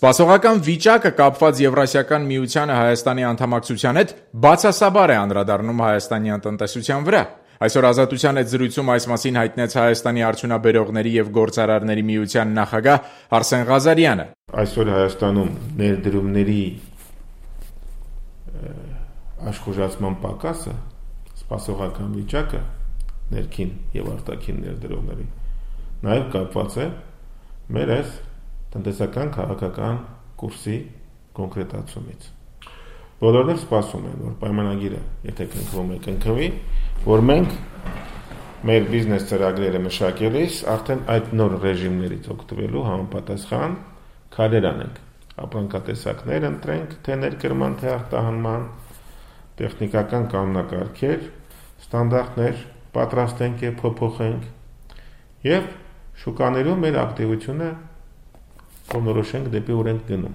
Սպասողական վիճակը կապված Եվրասիական միությանը Հայաստանի անդամակցության հետ բացասաբար է անդրադառնում հայաստանյան տնտեսության վրա։ Այսօր Ազատության հետ զրույցում այս մասին հայտնեց Հայաստանի արդյունաբերողների և գործարարների միության նախագահ Արսեն Ղազարյանը։ Այսօր Հայաստանում ներդրումների աշխուժացման պակասը, սպասողական վիճակը ներքին և արտաքին ներդրողների նաև կապված է մեր այս տնտեսական քաղաքական կուրսի կոնկրետացումից։ Բոլորն էլ սպասում են, որ պայմանագիրը, եթե կնքվում է, կնքվի, որ մենք մեր բիզնես ծրագրերը մշակելիս արդեն այդ նոր ռեժիմներից օգտվելու համապատասխան քայլեր անենք, ապրանքատեսակներ ընտրենք, թե ներկրման, թե արտահանման, տեխնիկական կանոնակարգեր, ստանդարտներ պատրաստենք և փոփոխենք և շուկաներում մեր ակտիվությունը կողմնորոշենք դեպի ուր ենք գնում։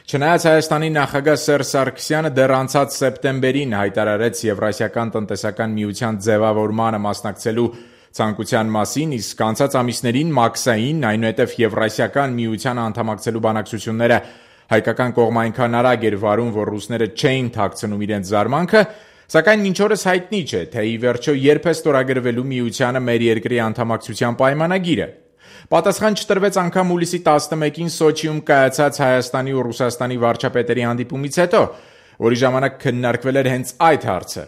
Չնայած Հայաստանի նախագահ Սերժ Սարգսյանը դեռ անցած սեպտեմբերին հայտարարեց Եվրասիական տնտեսական միության ձևավորմանը մասնակցելու ցանկության մասին, իսկ անցած ամիսներին մաքսային, այնուհետև Եվրասիական միության անդամակցելու բանակցությունները հայկական կողմը այնքան արագ էր վարում, որ ռուսները չէին թաքցնում իրենց զարմանքը, սակայն մինչ օրս հայտնի չէ, թե ի վերջո երբ է ստորագրվելու միությանը մեր երկրի անդամակցության պայմանագիրը։ Պատասխան չտրվեց անգամ հուլիսի 11-ին Սոչիում կայացած Հայաստանի ու Ռուսաստանի վարչապետերի հանդիպումից հետո, որի ժամանակ քննարկվել էր հենց այդ հարցը։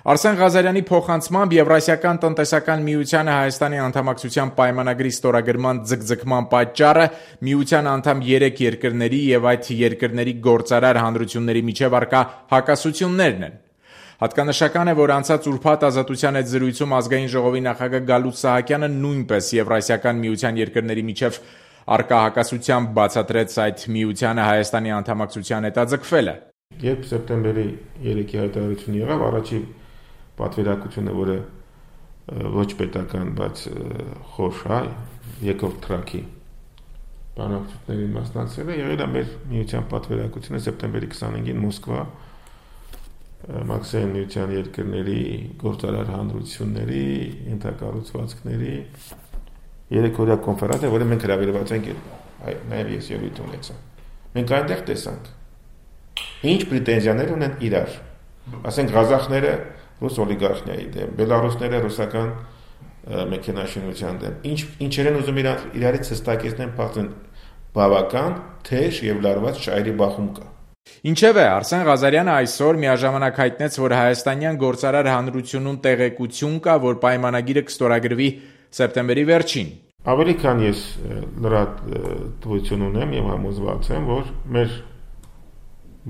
Արսեն Ղազարյանի փոխանցմամբ Եվրասիական տնտեսական միությանը Հայաստանի անդամակցության պայմանագրի ստորագրման ձգձգման պատճառը միության անդամ 3 երկրների և այդ երկրների գործարար հանրությունների միջև առկա հակասություններն են։ Հատկանշական է, որ անցած ուրբաթ Ազատության հետ զրույցում Ազգային ժողովի նախագահ Գալուստ Սահակյանը նույնպես Եվրասիական միության երկրների միջև առկա հակասությամբ բացատրեց այդ միությանը Հայաստանի անդամակցության հետաձգվելը։ Երբ սեպտեմբերի 3-ի հայտարարությունը եղավ, առաջի պատվիրակությունը, որը ոչ պետական, բայց խոշոր, երկրորդ թրաքի բանակցություններին մասնակցել է, եղել է մեր միության պատվիրակությունը սեպտեմբերի 25-ին Մոսկվա մաքսային միության երկրների գործարար հանրությունների, ենթակառուցվածքների 3-օրյա կոնֆերանս է, որը մենք հրավիրված ենք, նաև ես ելույթ ունեցա։ Մենք այնտեղ տեսանք, ինչ պրետենզիաներ ունեն իրար, ասենք ղազախները ռուս օլիգարխիայի դեմ, բելարուսները ռուսական մեքենաշինության դեմ, ինչեր են ուզում իրարից հստակեցնեն, փաստեն բավական թեժ և լարված շահերի բախում կա։ Ինչևէ, Արսեն Ղազարյանը այսօր միաժամանակ հայտնեց, որ հայաստանյան գործարար հանրությունում տեղեկություն կա, որ պայմանագիրը կստորագրվի սեպտեմբերի վերջին։ Ավելի քան ես լրատվություն ունեմ և համոզված եմ, որ մեր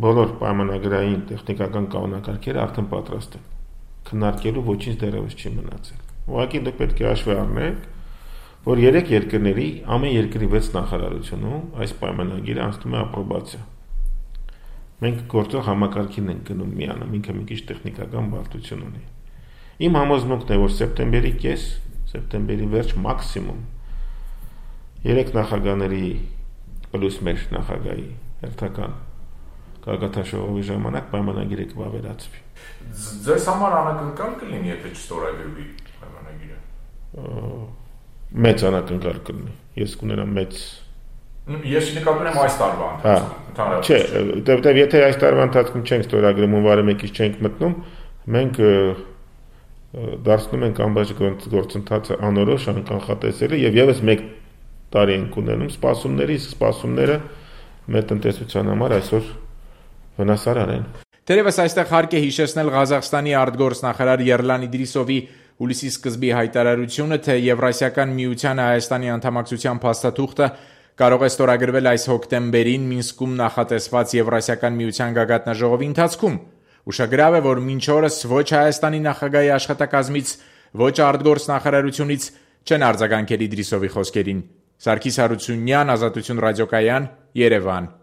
բոլոր պայմանագրային տեխնիկական կանոնակարգերը արդեն պատրաստ են։ Քննարկելու ոչինչ դեռևս չի մնացել։ Ուղղակի դուք պետք է հաշվի առնեք, որ 3 երկրների ամեն երկրի 6 նախարարությունում այս պայմանագիրը անցնում է ապրոբացիա։ Մենք գործող համակարգին ենք գնում միանում, ինքը մի քիչ տեխնիկական բարդություն ունի։ Իմ համոզմունքն է, որ սեպտեմբերի կես, սեպտեմբերի վերջ մաքսիմում 3 նախագահների պլյուս մեր նախագահի հերթական գագաթնաժողովի ժամանակ պայմանագիրը կվավերացվի։ Ձեզ համար անակնկալ կլինի, եթե չստորագրվի պայմանագիրը։ Մեծ անակնկալ կլինի։ Ես կունենամ մեծ Ես նկատում եմ այս տարվա ընթացքում։ Չէ, որտեվ եթե այս տարվա ընթացքում չենք ստորագրում, հունվարի 1-ից չենք մտնում, մենք դարձնում ենք ամբողջ գործընթացը անորոշ, անկանխատեսելի եւ եւս 1 տարի ենք ունենում սպասումների, իսկ սպասումները մեր տնտեսության համար այսօր վնասարար են։ Թերևս այստեղ հարկ է հիշեցնել Ղազախստանի արտգործնախարար Երլան Իդրիսովի հուլիսի սկզբի հայտարարությունը, թե Եվրասիական միությանը Հայաստանի անդամակցության փաստաթուղթը կարող է ստորագրվել այս հոկտեմբերին Մինսկում նախատեսված Եվրասիական միության գագաթնաժողովի ընթացքում։ Ուշագրավ է, որ մինչ օրս ոչ Հայաստանի նախագահի աշխատակազմից, ոչ արտգործնախարարությունից չեն արձագանքել Իդրիսովի խոսքերին։ Սարգիս Հարությունյան, Ազատություն ռադիոկայան, Երևան։